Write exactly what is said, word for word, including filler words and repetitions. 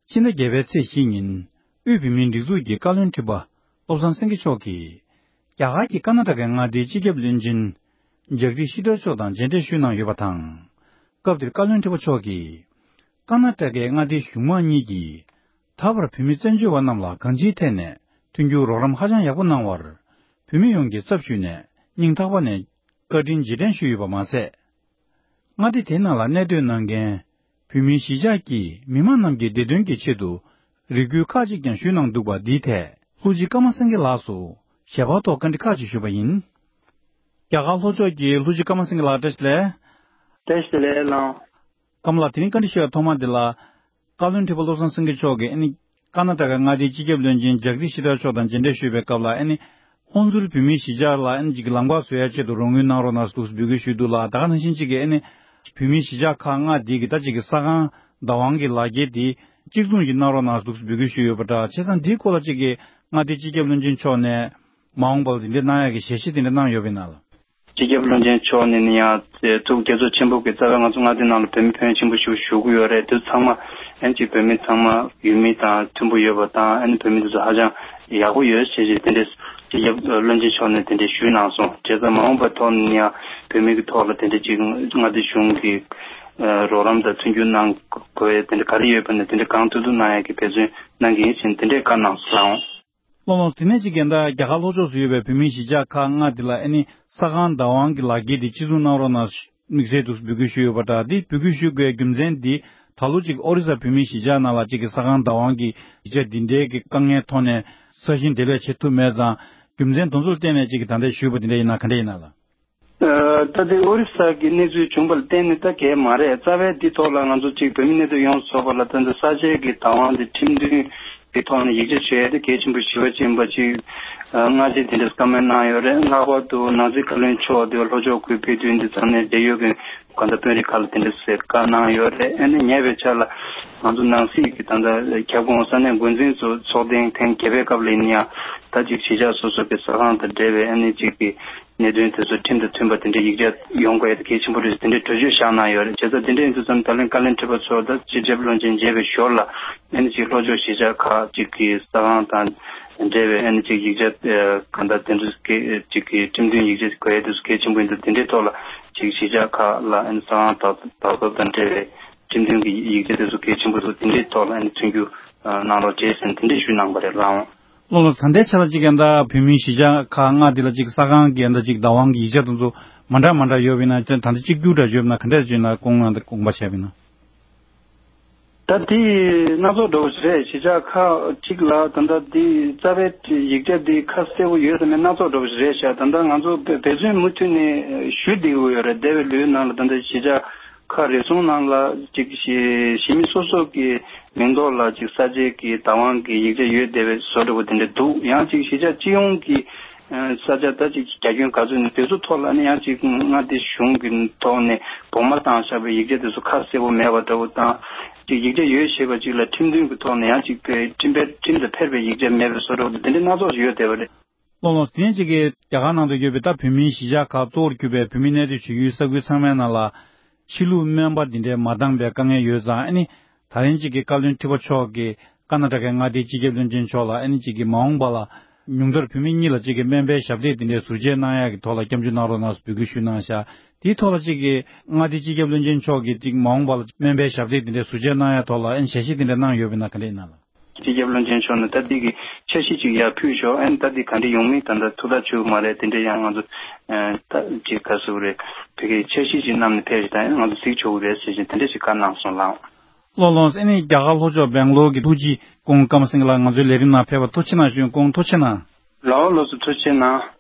ཕྱི་ཟླ་བརྒྱད་པའི་ཚེས་བཞི་ཉིན། དབུས་བོད་མིའི་སྒྲིག་འཛུགས་ཀྱི་བཀའ་བློན་ཁྲི་པ་བློ་བཟང་སེང་གེ་མཆོག་གིས། རྒྱ་གར་གྱི་ཀར་ན་ཊ་ཀའི་མངའ་སྡེའི་སྤྱི་ཁྱབ་བློན་ཆེན་ཇག་དིཤ་ཤི་ཐར་མཆོག་དང་མཇལ་འཕྲད་ཞུས་གནང་ཡོད་པ་དང་། སྐབས་དེར་བཀའ་བློན་ཁྲི་པ་མཆོག་གིས། ཀར་ན་ཊ་ཀའི་མངའ་སྡེའི་གཞུང་མང་གཉིས་ཀྱིས། ད་བར་བོད་མི་བཙན་བྱོལ་བ་རྣམས་ལ་གང་ཅིའི་ཐད་ནས་མཐུན་འགྱུར་རོགས་རམ་ཧ་ཅང་ཡག་པོ་གནང་བར། བོད་མི་ཡོངས་ཀྱི་ཚབ་ཞུས་ནས་སྙིང་ཐག་པ་ནས་བཀའ་དྲིན་རྗེས་དྲན་ཞུས་ཡོད་པ་མ་ཟད། མངའ་སྡེ་དེའི་ནང་ལ་གནས་སྡོད་གནང་མཁན་བོད་མིའི་གཞིས་ཆགས་ཀྱི་མི་མང་རྣམས་ཀྱི་བདེ་དོན་གྱི་ཆེད་དུ་རེ་སྐུལ་ཁག་ཅིག་ཀྱང་ཞུས་གནང་འདུག་པ། འདིའི་ཐད་ལྷུ་ཅི་ཀརྨ་སེང་གེ་ལགས་སུ་ཞལ་པར་ཐོག་བཀའ་འདྲི་ཁག་ཅིག་ཞུས་པ་ཡིན། རྒྱ་གར་ལྷོ་ཕྱོགས་ཀྱི་ལྷུ་ཅི་ཀརྨ་སེང་གེ་ལགས། བཀྲ་ཤིས་བདེ་ལེགས། བཀྲ་ཤིས་བདེ་ལེགས་ལགས། ཀརྨ་ལགས། དེ་རིང་བཀའ་འདྲི་ཞུ་བའི་ཐོག་མ་འདི་ལ། བཀའ་བློན་ཁྲི་པ་བློ་བཟང་སེང་གེ་མཆོག་གིས་ཨ་ནི། ཀར་ན་ཊ་ཀ་མངའ་སྡེའི་སྤྱི་ཁྱབ་བློན་ཆེན་ཇག་དིཤ་ཤི་ཐར་མཆོག་དང་མཇལ་འཕྲད་ཞུས་པའི་སྐབས་ལ། ཨ་ནི། ཧོན་སུར་བོད་མིའི་གཞིས་ཆགས་ལ་ཨ་ནི་ཅིག་གི་ལམ་ཁ་བཟོ་ཡ་ཆེད་དུ་རོགས་དངུལ་གནང་རོགས་གནང་ཟེར་འདུག་སེ་འབོད་སྐུལ་ཞུས་འདུག་ལ། ད་ག་ནང་བཞིན་ཅིག་གི་ཨ་ནི། བོད་མིའི་གཞིས་ཆགས་ཁག་ལྔ་འདི་གི་ད་ཅིག་གི་ས་ཁང་བདག་དབང་གི་ལག་འཁྱེར་འདི་གཅིག་མཚུངས་ཤིག་གནང་རོགས་གནང་ཟེར་འདུག་སེ་འབོད་སྐུལ་ཞུས་ཡོད་པ་འདྲ། བྱས་ཙང་འདིའི་སྐོར་ལ་ཅིག་གི་མངའ་སྡེའི་སྤྱི་ཁྱབ་བློན་ཆེན་མཆོག་ནས་མ་འོངས་པར་འདི་འདྲ་གནང་ཡ་གི་ཞལ་བཞེས་དེ་འདྲ་གནང་ཡོད་པ་ཡིན་ན་ལགས། སྤྱི་ཁྱབ་བློན་ཆེན་མཆོག་ནས་ནི་ཡང་ཐུགས་དགྱེས་ཚོར་ཆེན་པོ་གི་རྩ་བའི་ང་ཚོ་མངའ་སྡེ་ནང་ལ་བོད་མི་ཕོན་ཆེན་པོ་ཞིག་བཞུགས་ཀྱི་ཡོད་རེད། དེ་ཚང་མ་ཨན་ཅིག་བོད་མི་ཚང་མ་ཡུལ་མི་དང་མཐུན་པོ་ཡོད་པ་དང་། ཨན་བོད་མི་དེ་ཚོ་ཧ་ཅང་ཡག་པོ་ཡོད་ཞེས་ཞེས་དེ་འདྲའི་སྤྱི་ཁྱབ་བློན་ཆེན་མཆོག་ནས་དེ་འདྲའི་ཞུས་གནང་སོང་། བྱས་ཙང་མ་འོངས་པའི་ཐོག་ནས་ཡང་བོད་མི་གི་ཐོག་ལ་དེ་འདྲའི་ཅིག་མངའ་སྡེ་གཞུང་གི་རོགས་རམ་དང་མཐུན་འགྱུར་གནང་དགོས་ཡ་དེ་འདྲ་ག་རེ་ཡོད་པ་ནས་དེ་འདྲ་གང་ཐུབ་ཐུབ་གནང་ཡ་གི་འབད་བརྩོན་གནང་གི་ཡིན་ཞེས་དེ་འདྲའི་བཀའ་གནང་སོང་། ལགས་ལགས། དེ་ནས་ཅིག་གི་ད་རྒྱ་གར་ལྷོ་ཕྱོགས་སུ་ཡོད་པའི་བོད་མིའི་གཞིས་ཆགས་ཁག་ལྔ་དེ་ལ་ཨ་ནི་ས་ཁང་བདག་དབང་གི་ལག་འཁྱེར་དེ་གཅིག་མཚུངས་གནང་རོགས་གནང་དམིགས་བསལ་འདུག་འབོད་སྐུལ་ཞུས་ཡོད་པ་འདྲ། དེ་འབོད་སྐུལ་ཞུ་དགོས་རྒྱུ་མཚན་འདི་ད་ལོ་ཅིག་ཨོ་རི་ས་བོད་མིའི་གཞིས་ཆགས་ནང་ལ་ཅིག་གི་ས་ཁང་བདག་དབང་གི་ཡིག་ཆ་འདི་འདྲའི་གི་དཀའ་ངལ་ཐོག་ནས་ས་ཞིང་འབྲེལ་བ་བྱེད་ཐུབ་མེད་ཙང་རྒྱུ་མཚན་དེ་ཚོ་ལ་བརྟེན་ནས་ཅིག་གི་ད་ལྟ་ཞུས་པ་དེ་འདྲ་ཡིན་ན་ག་འདྲ་ཡིན་ན་ལགས། ཨ། ད་ལྟའི་ཨོ་རི་ས་གི་གནས་ཚུལ་བྱུང་བ་ལ་བརྟེན་ནས་ད་གས་མ་རེད། རྩ་བའི་འདི་ཐོག་ལ་ང་ཚོ་གཅིག་བོད་མི་གནས་སྡོད་ཡོངས་སུ་རྫོགས་པ་ལ་ད་ལྟ་ས་ཆའི་གི་བདག་དབང་དེ་ཁྲིམས་མཐུན་གྱི་ཐོག་ནས་ཡིག་ཆ་བྱས་ཏེ་གལ་ཆེན་པོ་ཞེ་པོ་ཅིག་ཡིན་པ་ཅིག་ཨ། སྔ་རྗེས་དེ་འདྲ་བཀའ་མོལ་གནང་ཡོད་རེད། ལྷག་པར་དུ་ནང་སྲིད་བཀའ་བློན་མཆོག་དེ་ལྷོ་ཕྱོགས་ཁུལ་དཔེ་སྟོན་འདི་ཚང་ནས་འབྲེལ་ཡོད་ཀྱི་གང་ལྟར་དཔོན་རིགས་ཁག་ལ་དེ་འདྲ་ཟེར་བཀའ་གནང་ཡོད་རེད། ཨ་ནི་ཉེ་བའི་ཆར་ལ་ང་ཚོ་ནང་སྲིད་ཀྱི་ད་ལྟ་ཁྱབ་ཁོངས་ས་གནས་འགོ་འཛིན་ཚོ་ཚོགས་ཐེངས་ཐེངས་བརྒྱད་པའི་སྐབས་ལ་ཡིན་ཡང་ད་ཅིག་གཞིས་ཆགས་སོ་སོ་གི་ས་ཁང་དང་འབྲེལ་བའི་ཨ་ནི་ཅིག་གི་གནད་དོན་དེ་ཚོ་ཁྲིམས་དང་མཐུན་པ་དེ་འདྲའི་ཡིག་ཆ་ཡོང་དགོས་ཡ་དེ་གལ་ཆེན་པོ་རེད་ཟེར་དེ་འདྲའི་གྲོས་ཆོད་བཞག་གནང་ཡོད་རེད། བྱས་ཙང་དེ་འདྲ་ཡིན་དུས་ཙམ་ད་ལན་བཀའ་བློན་ཁྲི་པ་མཆོག་དང་སྤྱི་ཁྱབ་བློན་ཆེན་མཇལ་བའི་ཞོར་ལ་ཨ་ནི་ཅིག་ལྷོ་ཕྱོགས་གཞིས་ཆགས་ཁག་ཅིག་གི་ས་ཁང་དང་འབྲེལ་བའི་ཨ་ནི་ཅིག་ཡིག་ཆ་གང་ལྟར་དེ་ཚོ་གི་ཅིག་གི་ཁྲིམས་མཐུན་ཡིག་ཆ་དགོས་ཡ་དེ་ཚོ་གལ་ཆེན་པོ་ཡིན་དུས་དེ་འདྲའི་ཐོག་ལ་ཅིག་གཞིས་ཆགས་ཁག་ལ་ཨ་ནི་ས་ཁང་དག་དག་ཐོབ་དང་འབྲེལ་བའི་ཁྲིམས་མཐུན་གྱི་ཡིག་ཆ་དེ་ཚོ་གལ་ཆེན་པོ་ཚོ་དེ་འདྲའི་ཐོག་ལ་ཨ་ནི་མཐུན་འགྱུར་གནང་རོགས་བྱེད་ཟེར་ནས་དེ་འདྲའི་ཞུས་གནང་པ་རེད་ལགས། ལགས་ལགས། ད་ལྟའི་ཆ་ལ་ཅིག་ཡང་ད་བོད་མིའི་གཞིས་ཆགས་ཁག་ལྔ་འདི་ལ་ཅིག་ས་ཁང་གི་ཡང་ད་ཅིག་བདག་དབང་གི་ཡིག་ཆ་དེ་ཚོ་མ་འདྲ་མ་འདྲ་ཡོད་པ་ཡིན་ན། ད་ལྟ་གཅིག་གྱུར་འདྲ་ཡོད་པ་ན་ག་འདྲ་ཅིག་ཡིན་ན་དགོངས་ཡང་ད་དགོངས་པ་བྱས་པ་ཡིན་ན། ད་དེ་སྣ་ཚོགས་འདྲ་བོ་ཞིག་རེད། གཞིས་ཆགས་ཁག་ཅིག་ལ་ད་ལྟ་འདི་རྩ་བའི་ཡིག་ཆ་འདི་ཁ་གསལ་པོ་ཡོད་དམ་མེད་སྣ་ཚོགས་འདྲ་བོ་ཞིག་རེད་ཤག་ད་ལྟ་ང་ཚོ་འབད་བརྩོན་མུ་མཐུད་ནས་ཞུ་བསྡད་ཀྱི་ཡོད་རེད། འདས་པའི་ལོའི་ནང་ལ་ད་ལྟ་གཞིས་ཆགས་ཁག་རེ་ཟུང་ནང་ལ་ཅིག་གཞི་གཞི་མི་སོ་སོ་གི་མིང་ཐོག་ལ་ཅིག་ས་ཆའི་གི་བདག་དབང་གི་ཡིག་ཆ་ཡོད་བསྡད་པའི་བཟོ་འདྲ་བོ་དེ་འདྲ་འདུག་ཡང་ཅིག་གཞིས་ཆགས་སྤྱི་ཡོངས་ཀྱི་ས་ཆ་ད་ཅིག་རྒྱ་ཁྱོན་ག་ཚོད་ནས་དེ་ཚོ་ཐོག་ལ་ནི་ཡང་ཅིག་མངའ་སྡེ་གཞུང་གི་ཐོག་ནས་བོགས་མ་བཏང་བཞག་པའི་ཡིག་ཆ་དེ་ཚོ་ཁ་གསལ་པོ་མེད་པ་འདྲ་བོ་དང་། ཅིག་ཡིག་ཆ་ཡོད་ཞེས་པ་ཅིག་ལ་ཁྲིམས་མཐུན་གྱི་ཐོག་ནས་ཡང་ཅིག་ཁྲིམས་ཕན་ཁྲིམས་དང་ཕན་པའི་ཡིག་ཆ་མེད་པའི་བཟོ་འདྲ་བོ་དེ་འདྲ་སྣ་ཚོགས་ཡོད་བསྡད་པ་རེད། ལགས་ལགས། དེ་ནས་ཅིག་གིས་རྒྱ་གར་ནང་དུ་ཡོད་པའི་ད་བོད་མིའི་གཞིས་ཆགས་ཁག་གཙོ་བོར་གྱུར་པའི་བོད་མི་གནས་སྡོད་བྱེད་ཀྱི་ས་ཁུལ་ཚང་མའི་ནང་ལ་ཕྱི་ལུགས་སྨན་པ་འདི་འདྲའི་མ་འདང་པའི་དཀའ་ངལ་ཡོད་ཙང་། ཨ་ནི་ད་ལན་ཅིག་གིས་བཀའ་བློན་ཁྲི་པ་མཆོག་གིས་ཀར་ན་ཊ་ཀའི་མངའ་སྡེའི་སྤྱི་ཁྱབ་བློན་ཆེན་མཆོག་ལ་ཨ་ནི་ཅིག་གིས་མ་འོངས་པ་ལ་ཉུང་མཐར་བོད་མི་གཉིས་ལ་ཅིག་གིས་སྨན་པའི་ཞབས་སྟེགས་འདི་འདྲའི་ཟུར་བཅད་གནང་ཡག་གི་ཐོག་ལ་སྐྱབས་འཇུག་གནང་རོགས་གནང་ཟེར་འབོད་སྐུལ་ཞུས་གནང་ཤག་དེའི་ཐོག་ལ་ཅིག་གིས་མངའ་སྡེའི་སྤྱི་ཁྱབ་བློན་ཆེན་མཆོག་གིས་ཅིག་མ་འོངས་པ་ལ་སྨན་པའི་ཞབས་སྟེགས་འདི་འདྲའི་ཟུར་བཅད་གནང་ཡག་ཐོག་ལ་ཨ་ནི་ཞལ་བཞེས་འདི་འདྲ་གནང་ཡོད་པ་ཡིན་ན་ག་འདྲ་ཡིན་ན་ལགས། སྤྱི་ཁྱབ་བློན་ཆེན་མཆོག་ནས་ད་འདི་གི་འཆར་གཞི་ཅིག་ཡར་ཕུལ་ཤོག་ཨ་ནི་ད་འདི་ག་འདྲ་ཡོང་མིན་ད་ལྟ་ཐུགས་ཐག་ཆོད་མ་རེད། དེ་འདྲ་ཡང་ང་ཚོ་ད་ཅིག་ག་ཟེར་དགོས་རེད། བོད་སྐད་འཆར་གཞི་ཅིག་བསྣམས་ནས་ཕེབས་ཤིག་ད་ཡང་ང་ཚོ་གཟིགས་ཆོག་གི་རེད་ཟེར་བཞིན་དེ་འདྲ་ཞིག་བཀའ་གནང་སོང་ལགས། ལགས་ལགས། ཨ་ནི་རྒྱ་གར་ལྷོ་ཕྱོགས་སྦེང་ལོར་གྱི་ཐུགས་རྗེ་སྐུ་ངོ་ཀརྨ་སེང་གེ་ལགས་ང་ཚོའི་ལས་རིམ་ནང་ཕེབས་པར་ཐུགས་རྗེ་གནང་ཞུ། སྐུ་ངོ་ཐུགས་རྗེ་གནང་། ལགས་ལགས་སོ། ཐུགས་རྗེ་གནང་།